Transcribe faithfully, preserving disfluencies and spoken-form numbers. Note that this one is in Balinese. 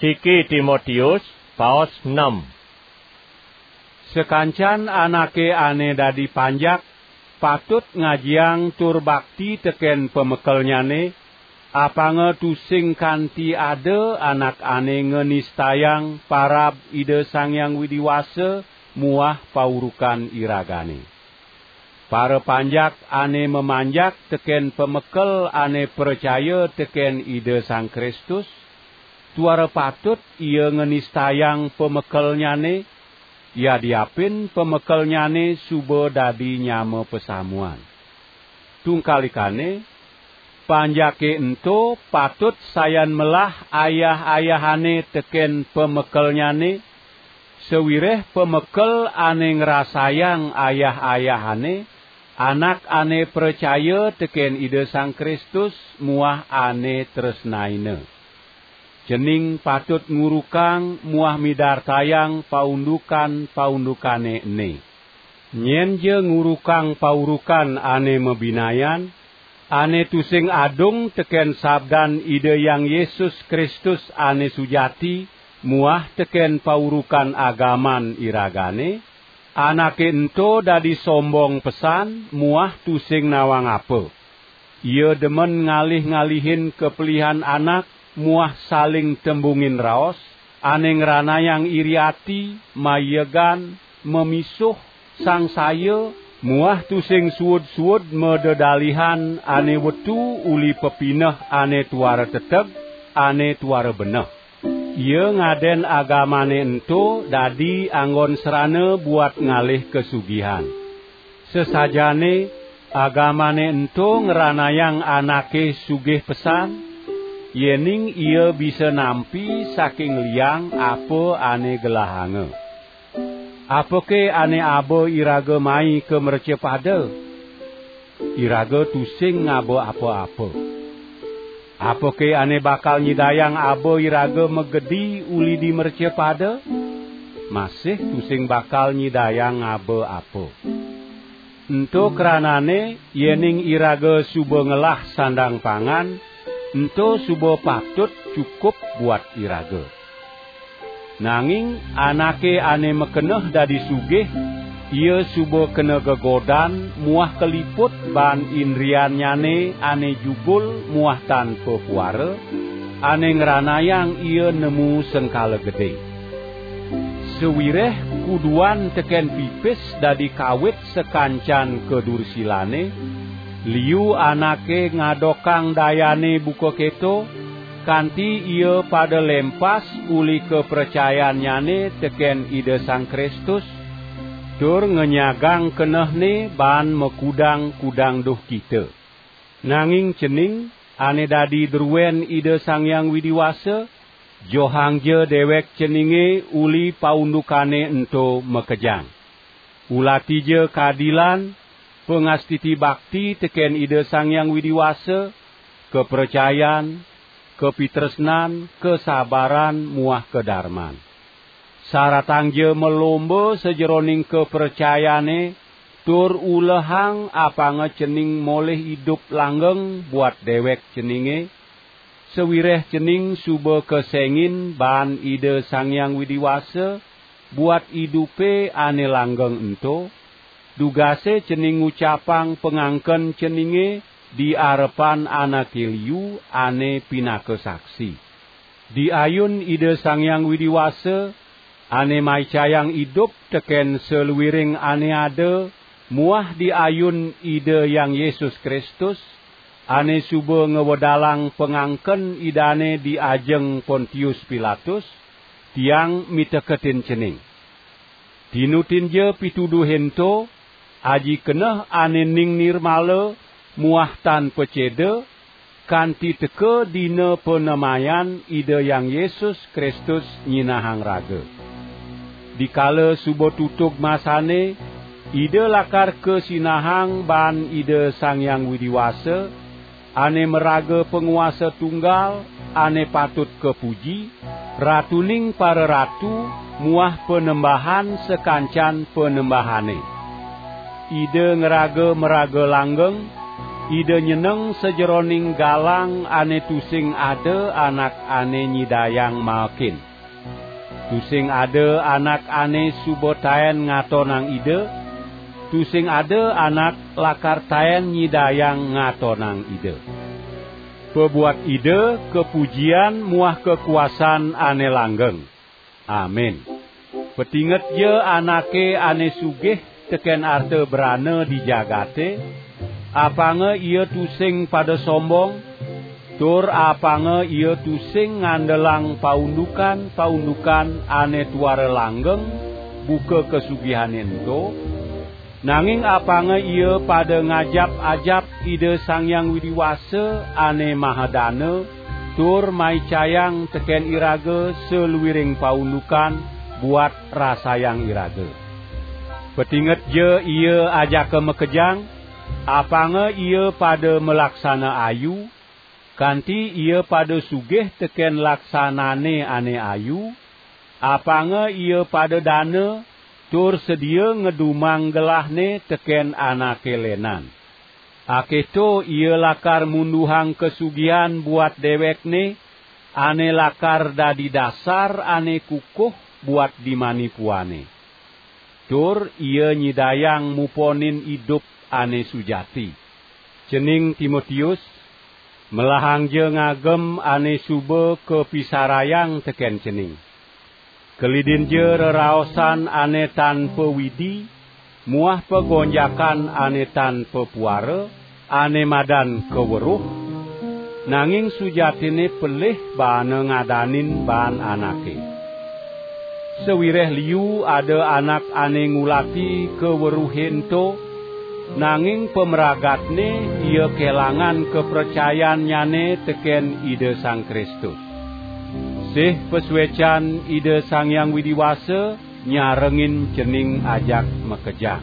Iki Timotius, paos enam. Sakancan anake ane dadi panjak patut ngajiang tur bakti teken pamekelnyane, apanga tusing kanti ada anak ane nganistayang parab Ida Sang Hyang Widi Wasa muah paurukan iragane. Para panjak ane mamanjak teken pamekel ane pracaya teken Ida Sang Kristus, tuara patut ia nganistayang pamekelnyane, yadiapin pamekelnyane suba dadi nyama pasamuan. Tungkalikane, panjake ento patut sayan melah ayah-ayahane teken pamekelnyane, sawireh pamekel ane ngrasayang ayah-ayahane, anak ane pracaya teken Ida Sang Kristus muah ane tresnaina. Cening patut ngurukang muah midartayang paundukan-paundukane ene. Nyen ja ngurukang paurukan ane mabinayan, ane tusing adung teken sabdan Ida Hyang Yesus Kristus ane sujati muah teken paurukan agaman iragane, anake ento dadi sombong pesan muah tusing nawang apa. Ia demen ngalih-ngalihin kapelihan anak muah saling tembungin raos, ane ngranayang iri ati, maiegan, mamisuh, sangsaya, muah tusing suud-suud madedalihan ane wetu uli pepineh ane tuara teteg, ane tuara beneh. Ia ngaden agamane ento dadi anggon serana buat ngalih kasugihan. Sesajane agamane ento ngranayang anake sugih pesan, yening ia bisa nampi saking liang apa ane gelahanga. Apake ane aba iraga mai ka mrecapada? Iraga tusing ngaba apa-apa. Apake ane bakal nyidayang aba iraga magedi uli di mrecapada? Masih tusing bakal nyidayang ngaba apa. Ento kranane, yening iraga suba ngelah sandang pangan, ento suba patut cukup buat iraga. Nanging anake ane makeneh dadi sugih, ia suba kena gegodan muah kaliput baan indriannyane ane jugul muah tan papuara, ane ngranayang ia nemu sengkala gede. Sawireh kuduan teken pipis dadi kawit sakancan kadursilane, liu anake ngadokang dayane buka keto, kanti ia pada lempas uli kapracayannyane teken Ida Sang Kristus, tur ngenyagang kenehne baan makudang-kudang duhkita. Nanging cening, ane dadi druen Ida Sang Hyang Widi Wasa, johangja dewek ceninge uli paundukane ento makejang. Ulatija kadilan, pangastiti bakti teken Ida Sang Hyang Widi Wasa, kapracayan, kapitresnan, kasabaran, muah kadarman. Saratangja malomba sajeroning kapracayane, tur ulehang apanga cening molih idup langgeng buat dewek ceninge, sawireh cening suba kesengin baan Ida Sang Hyang Widi Wasa buat idupe ane langgeng ento, dugase cening ngucapang pangangken ceninge di arepan anake liu ane pinaka saksi. Di ayun Ida Sang Hyang Widi Wasa, ane maicayang idup teken saluiring ane ada, muah di ayun Ida Hyang Yesus Kristus, ane suba ngwedalang pangangken Idane di ajeng Pontius Pilatus, tiang miteketin cening. Tinutinja pituduhe ento, aji keneh ane ning nirmala muah tan paceda, kanti teka dina panemayan Ida Hyang Yesus Kristus nyinahang raga. Dikala suba tutug masane, Ida lakar kasinahang baan Ida Sang Hyang Widi Wasa, ane maraga panguasa tunggal, ane patut kapuji, Ratuning pararatu muah Panembahan sakancan panembahane. Ida ngraga maraga langgeng, Ida nyeneng sajeroning galang ane tusing ada anak ane nyidayang maekin. Tusing ada anak ane suba taen ngatonang Ida, tusing ada anak lakar taen nyidayang ngatonang Ida. Pabuat Ida kapujian muah kakuasan ane langgeng. Amin. Patingetja anake ane sugih teken arta brana di jagate, apanga ia tusing pada sombong, tur apanga ia tusing ngandelang paundukan-paundukan ane tuara langgeng buka kasugihane ento, nanging apanga ia pada ngajap-ajap Ida Sang Hyang Widi Wasa ane mahadana, tur maicayang teken iraga saluiring paundukan buat rasayang iraga. Patingetja ia ajaka makejang, apanga ia pada malaksana ayu, kanti ia pada sugih teken laksanane ane ayu, apanga ia pada dana, tur sedia ngedumang gelahne teken anake lenan. Aketo ia lakar munduhang kasugihan buat dewekne, ane lakar dadi dasar ane kukuh buat di manipuane. Tur ia nyidayang muponin idup ane sujati. Cening Timotius, melahangja ngagem ane suba kapisarayang teken cening. Kelidinja reraosan ane tan pawidi muah pagonjakan ane tan papuara, ane madan kaweruh, nanging sujatine pelih baana ngadanin baan anake. Sawireh liu ada anak ane ngulati kaweruhe ento, nanging pamragatne ia kelangan kapracayannyane teken Ida Sang Kristus. Sih pasuecan Ida Sang Hyang Widi Wasa nyarengin cening ajak makejang.